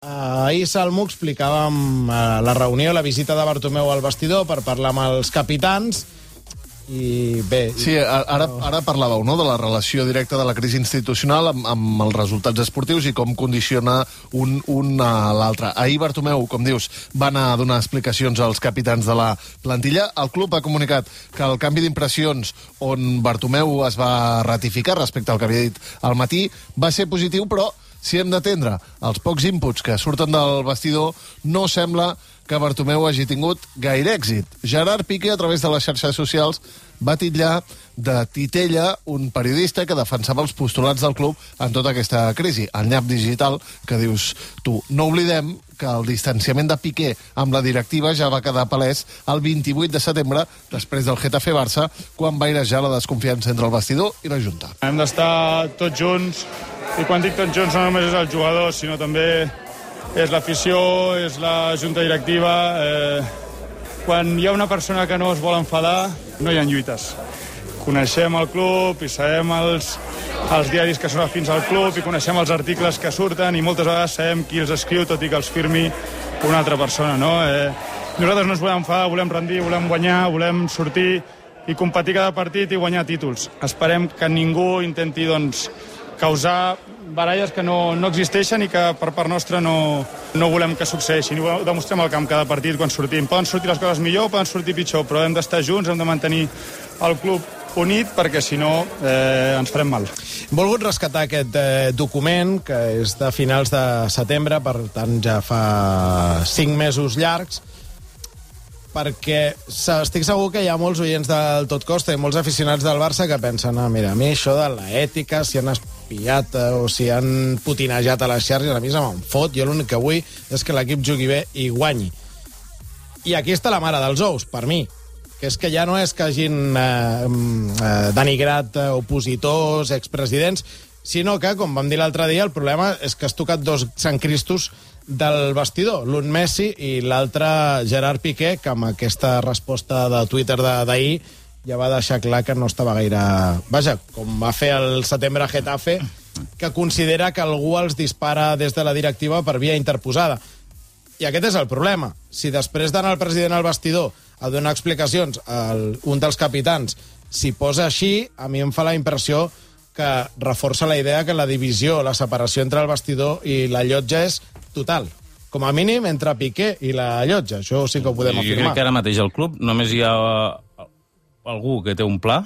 Ahir, Salmo, explicàvem la reunió, la visita de Bartomeu al vestidor per parlar amb els capitans i bé... Sí, ara parlàveu, no?, de la relació directa de la crisi institucional amb els resultats esportius i com condiciona un a l'altre. Ahir Bartomeu, com dius, va anar a donar explicacions als capitans de la plantilla. El club ha comunicat que el canvi d'impressions on Bartomeu es va ratificar respecte al que havia dit al matí va ser positiu, però si hem d'atendre els pocs inputs que surten del vestidor, no sembla que Bartomeu hagi tingut gaire èxit. Gerard Piqué, a través de les xarxes socials, va titllar de titella un periodista que defensava els postulats del club en tota aquesta crisi. El nyap digital que dius tu. No oblidem que el distanciament de Piqué amb la directiva ja va quedar palès el 28 de setembre, després del Getafe-Barça, quan va airejar la desconfiança entre el vestidor i la Junta. Hem d'estar tots junts, i quan dic tots junts no només és el jugador, sinó també és l'afició, és la junta directiva. Quan hi ha una persona que no es vol enfadar, no hi ha lluites. Coneixem el club i sabem els diaris que són afins al club i coneixem els articles que surten i moltes vegades sabem qui els escriu, tot i que els firmi una altra persona, no? Nosaltres no ens volem enfadar, volem rendir, volem guanyar, volem sortir i competir cada partit i guanyar títols. Esperem que ningú intenti, doncs, causar baralles que no existeixen i que per part nostra no volem que succeeixin. Ho demostrem al camp cada partit quan sortim. Poden sortir les coses millor, poden sortir pitjor, però hem d'estar junts, hem de mantenir el club unit perquè si no ens farem mal. He volgut rescatar aquest document que és de finals de setembre, per tant ja fa 5 mesos llargs, perquè estic segur que hi ha molts oients del Tot Costa i molts aficionats del Barça que pensen, mira, a mi això de l'ètica, si han espiat o si han putinejat a les xarxes, a mi se me'n fot, jo l'únic que vull és que l'equip jugui bé i guanyi. I aquí està la mare dels ous, per mi, que és que ja no és que hagin denigrat opositors, expresidents, sinó que, com vam dir l'altre dia, el problema és que has tocat dos Sant Cristos del vestidor, l'un Messi i l'altre Gerard Piqué, que amb aquesta resposta de Twitter d'ahir ja va deixar clar que no estava gaire... Vaja, com va fer el setembre a Getafe, que considera que algú els dispara des de la directiva per via interposada. I aquest és el problema. Si després d'anar el president al vestidor a donar explicacions a un dels capitans s'hi posa així, a mi em fa la impressió que reforça la idea que la divisió, la separació entre el vestidor i la llotja és total. Com a mínim entre Piqué i la llotja. Això sí que ho podem afirmar. Jo crec que ara mateix al club només hi ha algú que té un pla,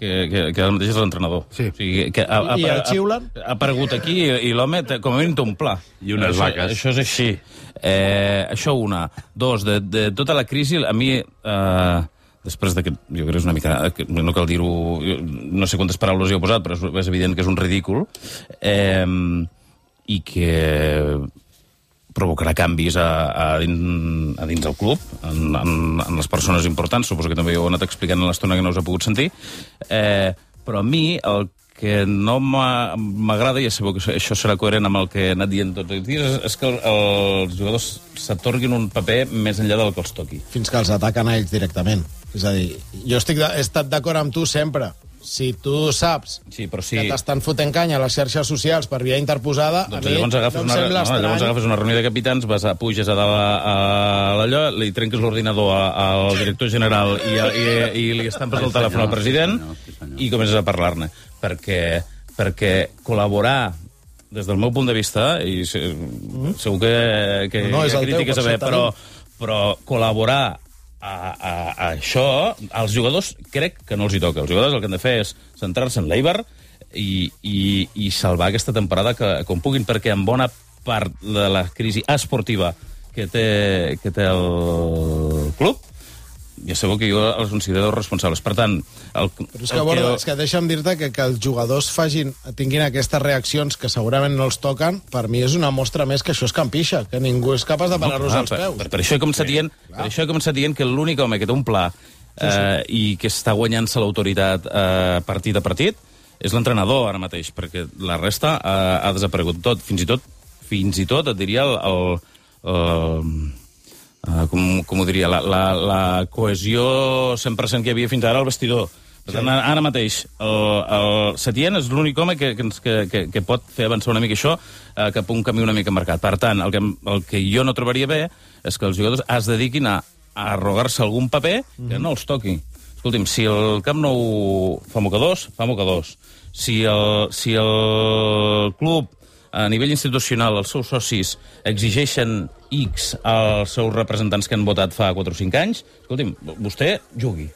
que ara mateix és l'entrenador. Sí. O sigui, que I el xiulen? Ha aparegut aquí i l'home com a mínim té un pla. I unes vaques. Això és així. Això una. Dos, de tota la crisi, a mi... després de que jo crec que és una mica... no cal dir-ho... No sé quantes paraules hi he posat, però és evident que és un ridícul. I que provocarà canvis a dins del club, en les persones importants. Suposo que també ho heu anat explicant en l'estona que no us ha pogut sentir. Però a mi el que no m'agrada, i ja sabeu que això serà coherent amb el que he anat dient tots els dies, és que els jugadors s'atorguin un paper més enllà del que els toqui. Fins que els ataquen a ells directament. És a dir, jo he estat d'acord amb tu sempre. Si tu saps que t'estan fotent canya a les xarxes socials per via interposada, doncs a mi no em sembla estrany. Llavors agafes una reunió de capitans, puges a dalt a l'allò, li trenques l'ordinador al director general i li estampes el telèfon al president i comences a parlar-ne. Perquè col·laborar, des del meu punt de vista, i segur que hi ha crítiques a haver, però col·laborar a això, als jugadors crec que no els hi toca. Els jugadors el que han de fer és centrar-se en l'Eibar i salvar aquesta temporada com puguin, perquè en bona part de la crisi esportiva que té el club, ja sabeu que jo els considero responsables. Per tant... Però és que deixa'm dir-te que els jugadors tinguin aquestes reaccions que segurament no els toquen, per mi és una mostra més que això és campixa, que ningú és capaç de parar-los als peus. Per això he començat dient que l'únic home que té un pla i que està guanyant-se l'autoritat partit a partit és l'entrenador ara mateix, perquè la resta ha desaparegut tot. Fins i tot, et diria, com ho diria, la cohesió 100% que hi havia fins ara al vestidor, Per tant, ara mateix, el Setién és l'únic home que pot fer avançar una mica això cap a un camí una mica marcat. Per tant, el que jo no trobaria bé és que els jugadors es dediquin a arrogar-se algun paper que no els toqui. Escolti'm, si el Camp Nou fa mocadors, fa mocadors. Si el club, a nivell institucional, els seus socis exigeixen X als seus representants que han votat fa 4 o 5 anys, escolti'm, vostè jugui.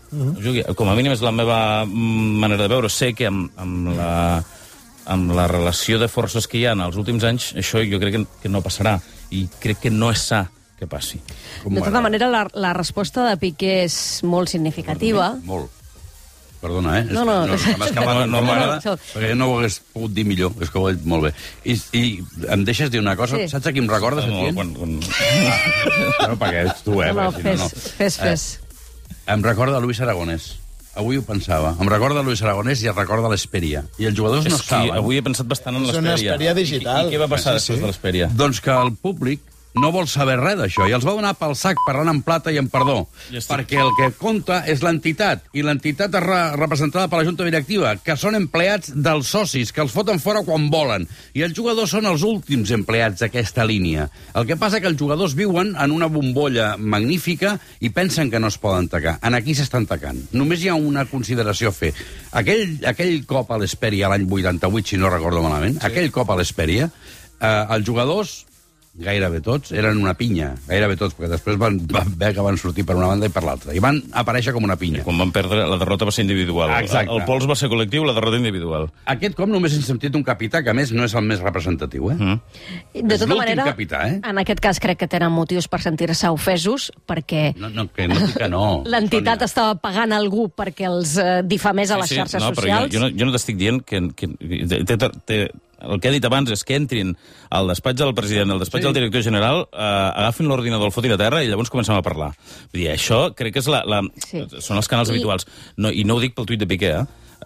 Com a mínim és la meva manera de veure. Sé que amb la relació de forces que hi ha en els últims anys, això jo crec que no passarà. I crec que no és sa que passi. De tota manera, la resposta de Piqué és molt significativa. Molt. Perdona, No. M'ha escapat normal, perquè no ho hagués pogut dir millor. És que ho he dit molt bé. I em deixes dir una cosa? Sí. Saps a qui em recorda, Setién? No, perquè ets tu, No, fes. Em recorda Luis Aragonès. Avui ho pensava. Em recorda Luis Aragonès i es recorda l'Esperia. I els jugadors no saben. Avui he pensat bastant en l'Esperia. És una Esperia digital. I què va passar després de l'Esperia? Doncs que el públic no vol saber res d'això, i els va donar pel sac parlant en plata i en perdó, perquè el que compta és l'entitat, i l'entitat és representada per la Junta Directiva, que són empleats dels socis, que els foten fora quan volen, i els jugadors són els últims empleats d'aquesta línia. El que passa que els jugadors viuen en una bombolla magnífica i pensen que no es poden tacar. En aquí s'estan tacant. Només hi ha una consideració a fer. Aquell cop a l'Hesperia l'any 88, si no recordo malament, aquell cop a l'Hesperia, els jugadors gairebé tots, eren una pinya. Gairebé tots, perquè després van veure que van sortir per una banda i per l'altra. I van aparèixer com una pinya. Quan van perdre, la derrota va ser individual. Exacte. El pols va ser col·lectiu, la derrota individual. Aquest cop només hem sentit un capità, que a més no és el més representatiu, De tota manera, capità, en aquest cas crec que tenen motius per sentir-se ofesos, perquè que no dic que no. l'entitat estava pagant algú perquè els difamés a les xarxes socials. Però jo no t'estic dient que el que he dit abans és que entrin al despatx del president, al despatx del director general, agafin l'ordinador, el fotin a terra i llavors comencem a parlar. Vull dir, això crec que és són els canals habituals. I no ho dic pel tuit de Piqué,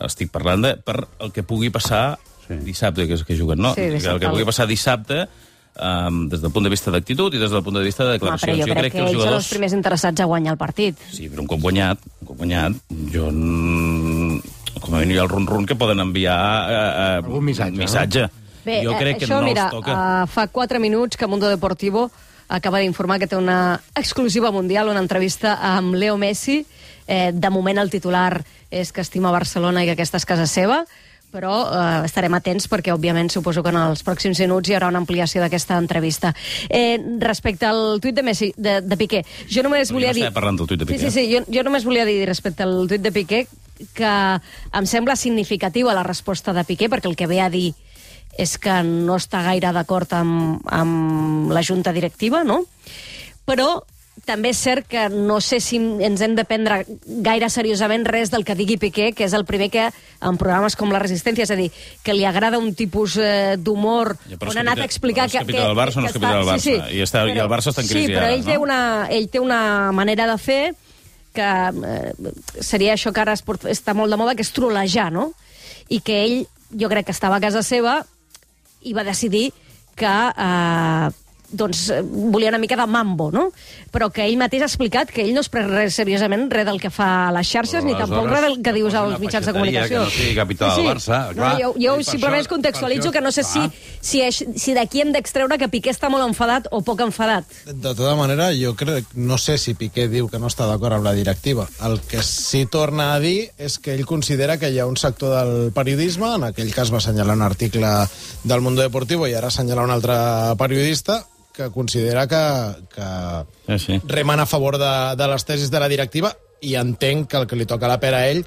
estic parlant per el que pugui passar dissabte, que juguen, no? Sí, el que pugui passar dissabte des del punt de vista d'actitud i des del punt de vista de declaracions. Però jo crec que ells són els primers interessats a guanyar el partit. Sí, però un cop guanyat, jo com a mínim hi ha el run-run que poden enviar algun missatge. Bé, jo crec que això, no mira, els toca. Fa 4 minuts que Mundo Deportivo acaba d'informar que té una exclusiva mundial, una entrevista amb Leo Messi. De moment el titular és que estima Barcelona i que aquesta és casa seva, però estarem atents perquè, òbviament, suposo que en els pròxims minuts hi haurà una ampliació d'aquesta entrevista. Respecte al tuit de Messi, de Piqué, jo només volia dir... No estava parlant del tuit de Piqué. Sí, jo només volia dir respecte al tuit de Piqué que em sembla significativa la resposta de Piqué, perquè el que ve a dir és que no està gaire d'acord amb la junta directiva, no? Però també és cert que no sé si ens hem de prendre gaire seriosament res del que digui Piqué, que és el primer que en programes com La Resistència, és a dir, que li agrada un tipus d'humor on ha anat a explicar que... És capità del Barça o no és capità del Barça? I el Barça està en crisi ara, no? Sí, però ell té una manera de fer que seria això que ara està molt de moda, que és trolejar, no? I que ell, jo crec que estava a casa seva i va decidir que volia una mica de mambo, no? Però que ell mateix ha explicat que ell no es pren res seriosament res del que fa a les xarxes, ni tampoc res del que dius als mitjans de comunicació. Que no sigui capità del Barça. Jo simplement contextualitzo que no sé si d'aquí hem d'extreure que Piqué està molt enfadat o poc enfadat. De tota manera, jo crec, no sé si Piqué diu que no està d'acord amb la directiva. El que sí torna a dir és que ell considera que hi ha un sector del periodisme, en aquell cas va assenyalar un article del Mundo Deportivo i ara assenyalar un altre periodista, que considera que remen a favor de les tesis de la directiva, i entenc que el que li toca la pera a ell,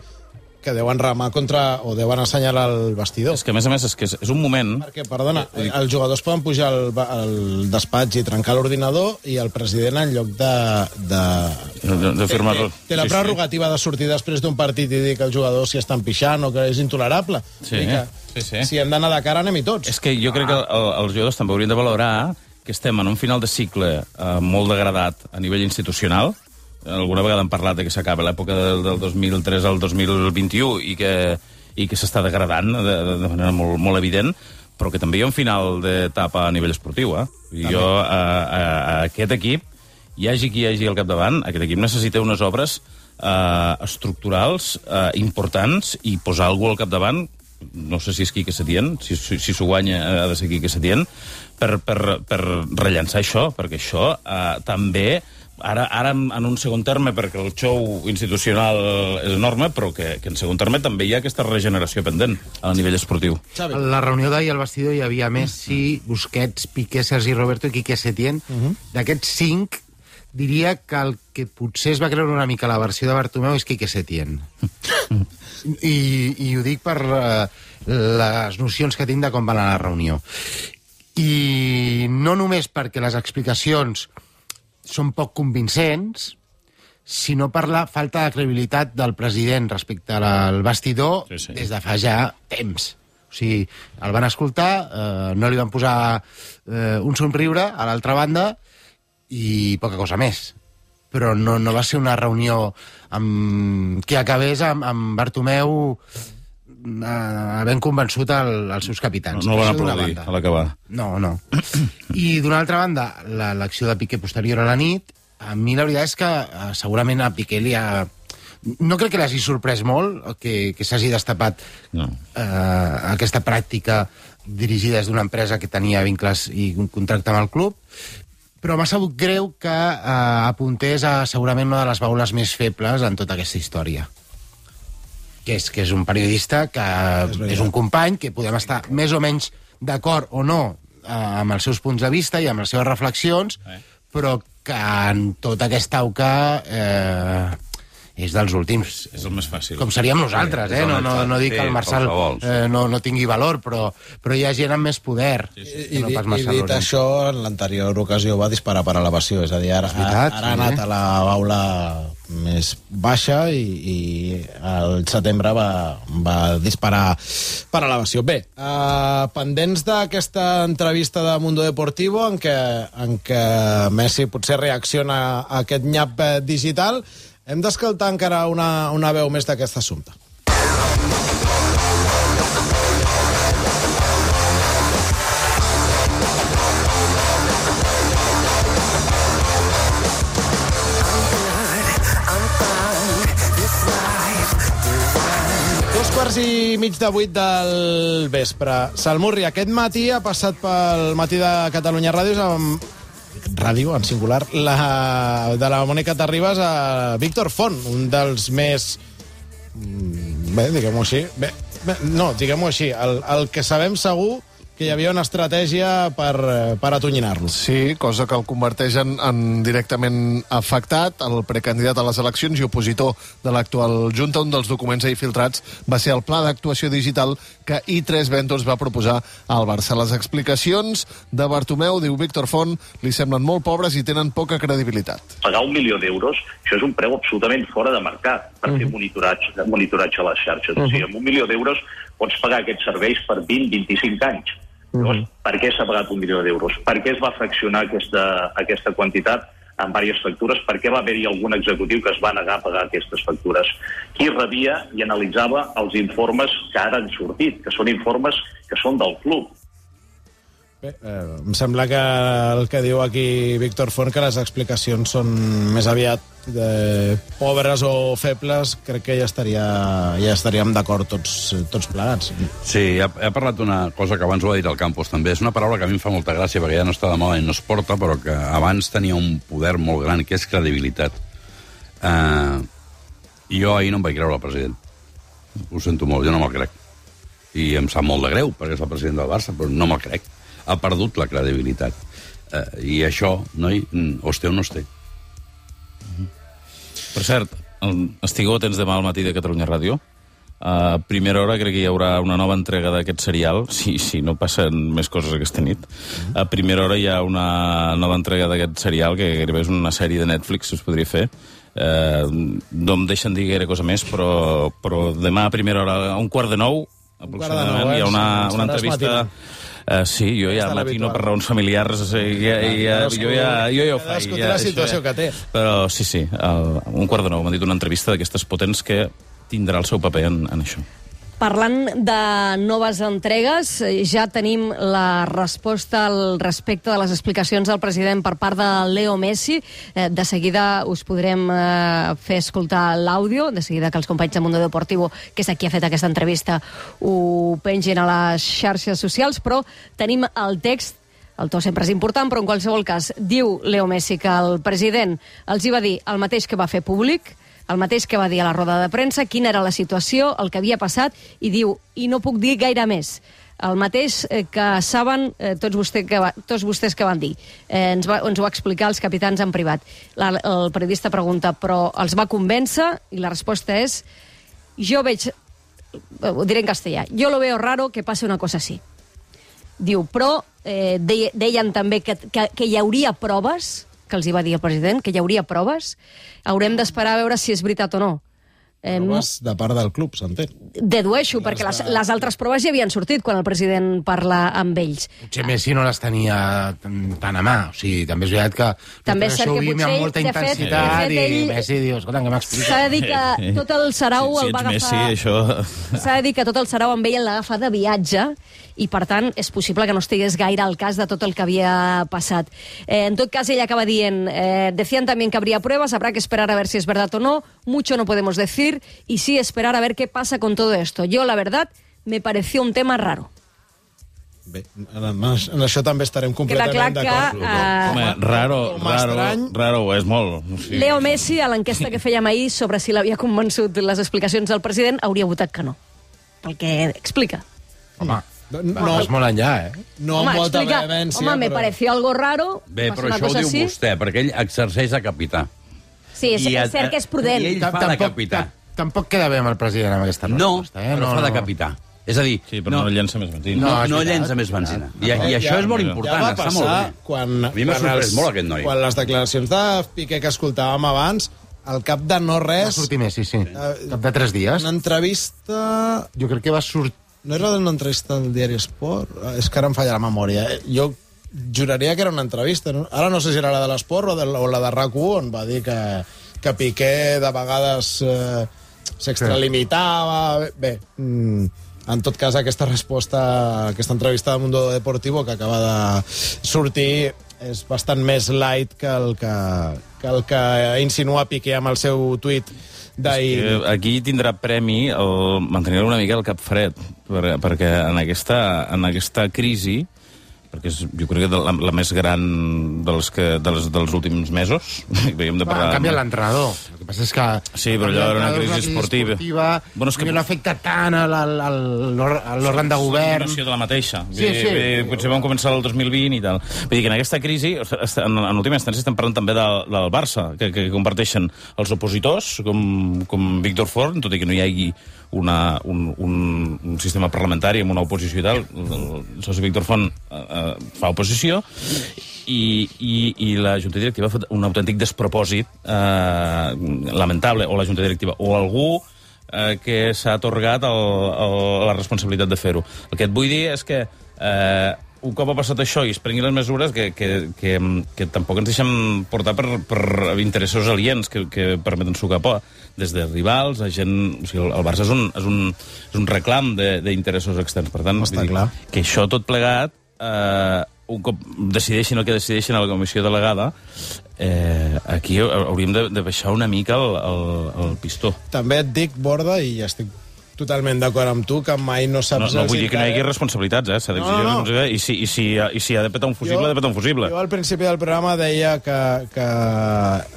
que deuen remar contra, o deuen assenyalar el vestidor. És que, a més, és un moment... Perquè, perdona, els jugadors poden pujar al despatx i trencar l'ordinador, i el president, en lloc de firmar-lo... Té la prerrogativa de sortir després d'un partit i dir que els jugadors s'hi estan pixant o que és intolerable. Sí. Si hem d'anar de cara, anem-hi tots. És que jo crec que els jugadors també haurien de valorar que estem en un final de cicle molt degradat a nivell institucional. Alguna vegada hem parlat de que s'acaba l'època del 2003 al 2021 i que s'està degradant de manera molt, molt evident, però que també hi ha un final d'etapa a nivell esportiu. Jo, a aquest equip, hi hagi qui hi hagi al capdavant, aquest equip necessita unes obres estructurals importants i posar algú al capdavant, no sé si és Quique Setién, si s'ho guanya ha de ser Quique Setién, per rellançar això, perquè això també, ara en un segon terme, perquè el show institucional és enorme, però que en segon terme també hi ha aquesta regeneració pendent a nivell esportiu. A la reunió d'ahir al vestidor hi havia Messi, Busquets, Piqué, Sergi Roberto i Quique Setién. D'aquests 5, diria que el que potser es va creure una mica la versió de Bartomeu és Quique Setién. I ho dic per les nocions que tinc de com va anar la reunió. I no només perquè les explicacions són poc convincents, sinó per la falta de credibilitat del president respecte al vestidor des de fa ja temps. O sigui, el van escoltar, no li van posar un somriure a l'altra banda i poca cosa més. Però no va ser una reunió que acabés amb Bartomeu havent convençut els seus capitans. No el van aplaudir a l'acabar. No. I d'una altra banda, l'acció de Piqué posterior a la nit, a mi la veritat és que segurament a Piqué li ha... No crec que l'hagi sorprès molt que s'hagi destapat aquesta pràctica dirigida des d'una empresa que tenia vincles i un contracte amb el club, però m'ha sabut greu que apuntés a segurament una de les baules més febles en tota aquesta història. Que és un periodista que és un company, que podem estar més o menys d'acord o no amb els seus punts de vista i amb les seves reflexions, però que en tota aquesta auca és dels últims. És el més fàcil. Com seríem nosaltres, no dic que el Marçal no tingui valor, però hi ha gent amb més poder. I dit això, en l'anterior ocasió va disparar per elevació, és a dir, ara ha anat a la baula més baixa i al setembre va disparar per elevació. Bé, pendents d'aquesta entrevista de Mundo Deportivo en què Messi potser reacciona a aquest nyap digital, hem d'escoltar encara una veu més d'aquest assumpte. Quarts i mig de 8 del vespre. Salmurri, aquest matí ha passat pel Matí de Catalunya Ràdio, en singular, de la Mònica Terribas a Víctor Font, un dels més... Bé, diguem-ho així. Diguem-ho així. El que sabem segur que hi havia una estratègia per atonyinar-lo. Sí, cosa que el converteix en directament afectat. El precandidat a les eleccions i opositor de l'actual Junta, un dels documents ahir filtrats va ser el pla d'actuació digital que I3 Ventures va proposar al Barça. Les explicacions de Bartomeu, diu Víctor Font, li semblen molt pobres i tenen poca credibilitat. Pagar 1 milió d'euros, això és un preu absolutament fora de mercat per fer monitoratge a les xarxes. O sigui, amb 1 milió d'euros pots pagar aquests serveis per 20-25 anys. Llavors, per què s'ha pagat 1 milió d'euros? Per què es va fraccionar aquesta quantitat en diverses factures? Per què va haver-hi algun executiu que es va negar a pagar aquestes factures? Qui rebia i analitzava els informes que ara han sortit, que són informes que són del club? Bé, em sembla que el que diu aquí Víctor Font, que les explicacions són més aviat pobres o febles, crec que ja estaríem d'acord tots plegats. Sí, ha parlat d'una cosa que abans ho ha dit al Campos, també. És una paraula que a mi em fa molta gràcia, perquè ja no està de moda i no es porta, però que abans tenia un poder molt gran, que és credibilitat. Jo ahir no em vaig creure el president. Ho sento molt, jo no me'l crec. I em sap molt de greu, perquè és el president del Barça, però no me'l crec. Ha perdut la credibilitat. I això, noi, o es té o no es té. Per cert, estigueu atents demà al Matí de Catalunya Ràdio. A primera hora crec que hi haurà una nova entrega d'aquest serial, si no passen més coses aquesta nit. A primera hora hi ha una nova entrega d'aquest serial, que gairebé és una sèrie de Netflix, us podria fer. No em deixen dir gaire cosa més, però demà a primera hora, a 8:45, aproximadament, hi ha una entrevista... Sí, jo ja matino per raons familiars, jo ja ho faig. Cadascú té la situació que té. Però sí, a 8:45 m'han dit una entrevista d'aquestes potents que tindrà el seu paper en això. Parlant de noves entregues, ja tenim la resposta al respecte de les explicacions del president per part de Leo Messi. De seguida us podrem fer escoltar l'àudio, de seguida que els companys de Mundo Deportivo, que és qui ha fet aquesta entrevista, ho pengin a les xarxes socials, però tenim el text. El to sempre és important, però en qualsevol cas diu Leo Messi que el president els hi va dir el mateix que va fer públic, el mateix que va dir a la roda de premsa, quina era la situació, el que havia passat, i diu, i no puc dir gaire més. El mateix que saben tots vostès que van dir. Ens ho va explicar els capitans en privat. El periodista pregunta, però els va convèncer? I la resposta és, ho diré en castellà, yo lo veo raro que pase una cosa así. Diu, però deien també que hi hauria proves, que els hi va dir el president, que hi hauria proves. Haurem d'esperar a veure si és veritat o no. Proves de part del club, s'entén. Dedueixo, perquè les altres proves ja havien sortit quan el president parla amb ells. Potser Messi no les tenia tan a mà. O sigui, també és veritat que també és cert que potser amb molta intensitat i Messi diu, escolta, què m'explica? S'ha de dir que tot el sarau el va agafar... S'ha de dir que tot el sarau amb ell l'agafa de viatge i, per tant, és possible que no estigués gaire al cas de tot el que havia passat. En tot cas, ell acaba dient, decían también que habría pruebas, habrá que esperar a ver si es verdad o no, mucho no podemos decir, y sí esperar a ver qué pasa con todo esto. Yo, la verdad, me pareció un tema raro. Bé, en això també estarem completament d'acord. Home, raro és molt. O sigui... Leo Messi, a l'enquesta que fèiem ahir sobre si l'havia convençut les explicacions del president, hauria votat que no, pel que explica. Home, vas molt enllà, No amb molta vehemència. Home, me pareció algo raro. Bé, però això ho diu vostè, perquè ell exerceix de capità. Sí, és cert que és prudent. I ell fa de capità. Tampoc queda bé amb el president amb aquesta resposta. No, però fa de capità. És a dir... Sí, però no llença més benzina. No llença més benzina. I això és molt important, està molt bé. A mi m'ha sorprès molt aquest noi. Quan les declaracions de Piqué que escoltàvem abans, al cap de no res... Va sortir Messi, sí. Cap de 3 dies. Una entrevista... Jo crec que va sortir... No era una entrevista al diari Esport? És que ara em falla la memòria. Jo juraria que era una entrevista. No? Ara no sé si era la de l'Esport o la de RAC1, on va dir que Piqué de vegades s'extralimitava. Bé, en tot cas, aquesta resposta, aquesta entrevista de Mundo Deportivo que acaba de sortir és bastant més light que el que insinua Piqué amb el seu tuit d'ahir. Aquí tindrà premi el mantenir una mica el cap fred, perquè en aquesta crisi, perquè és, jo crec que la més gran dels últims mesos. Ha canviat l'entrenador. El que passa és que... Sí, però allò era una crisi esportiva. Bueno, és que no afecta tant a l'òrgan de govern. És la de la mateixa. Sí. Potser vam començar el 2020 i tal. Vull dir que en aquesta crisi, en última instància, estem parlant també del Barça, que comparteixen els opositors, com Víctor Forn, tot i que no hi hagi un sistema parlamentari amb una oposició i tal. El soci Víctor Font fa oposició i la Junta Directiva ha fet un autèntic despropòsit lamentable, o la Junta Directiva o algú que s'ha atorgat la responsabilitat de fer-ho. El que et vull dir és que un cop ha passat això i es prenguin les mesures que tampoc ens deixen portar per interessos aliens que permeten sucar por, des de rivals a gent... O sigui, el Barça és un reclam d'interessos externs. Per tant, que això tot plegat, un cop decideixin el que decideixin a la comissió delegada, aquí hauríem de baixar una mica el pistó. També et dic, Borda, i ja estic totalment d'acord amb tu, que mai no saps... No vull dir que no hi hagi responsabilitats, s'ha d'exigir responsabilitats, i si ha de petar un fusible, ha de petar un fusible. Jo al principi del programa deia que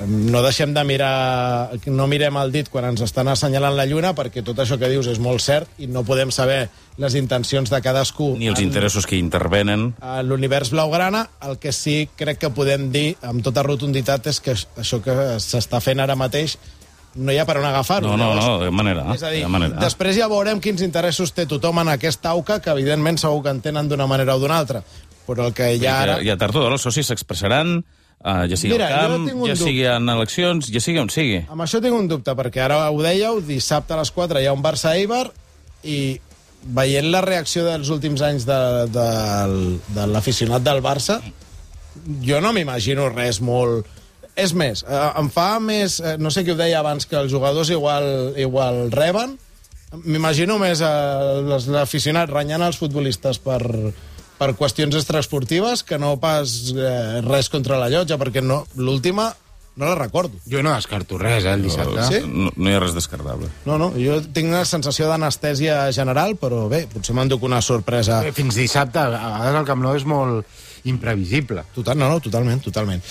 no deixem de mirar, no mirem el dit quan ens estan assenyalant la lluna, perquè tot això que dius és molt cert i no podem saber les intencions de cadascú. Ni els interessos que intervenen. A l'univers blaugrana, el que sí crec que podem dir amb tota rotunditat és que això que s'està fent ara mateix no hi ha per on agafar-ho. No, de manera. És a dir, després ja veurem quins interessos té tothom en aquesta auca, que evidentment segur que en tenen d'una manera o d'una altra. Però el que hi ha ara... I a tard o d'hora els socis s'expressaran, ja sigui al camp, ja sigui en eleccions, ja sigui on sigui. Amb això tinc un dubte, perquè ara ho dèieu, dissabte a les 4 hi ha un Barça-Eibar, i veient la reacció dels últims anys de l'aficionat del Barça, jo no m'imagino res molt... És més, em fa més... No sé qui ho deia abans, que els jugadors igual reben, M'imagino més l'aficionat renyant els futbolistes per qüestions extraesportives que no pas res contra la llotja, perquè l'última no la recordo. Jo no descarto res, el dissabte. Sí? No hi ha res descartable. No, jo tinc una sensació d'anestèsia general, però bé, potser m'enduc una sorpresa. Fins dissabte, a vegades el Camp Nou és molt imprevisible. Totalment.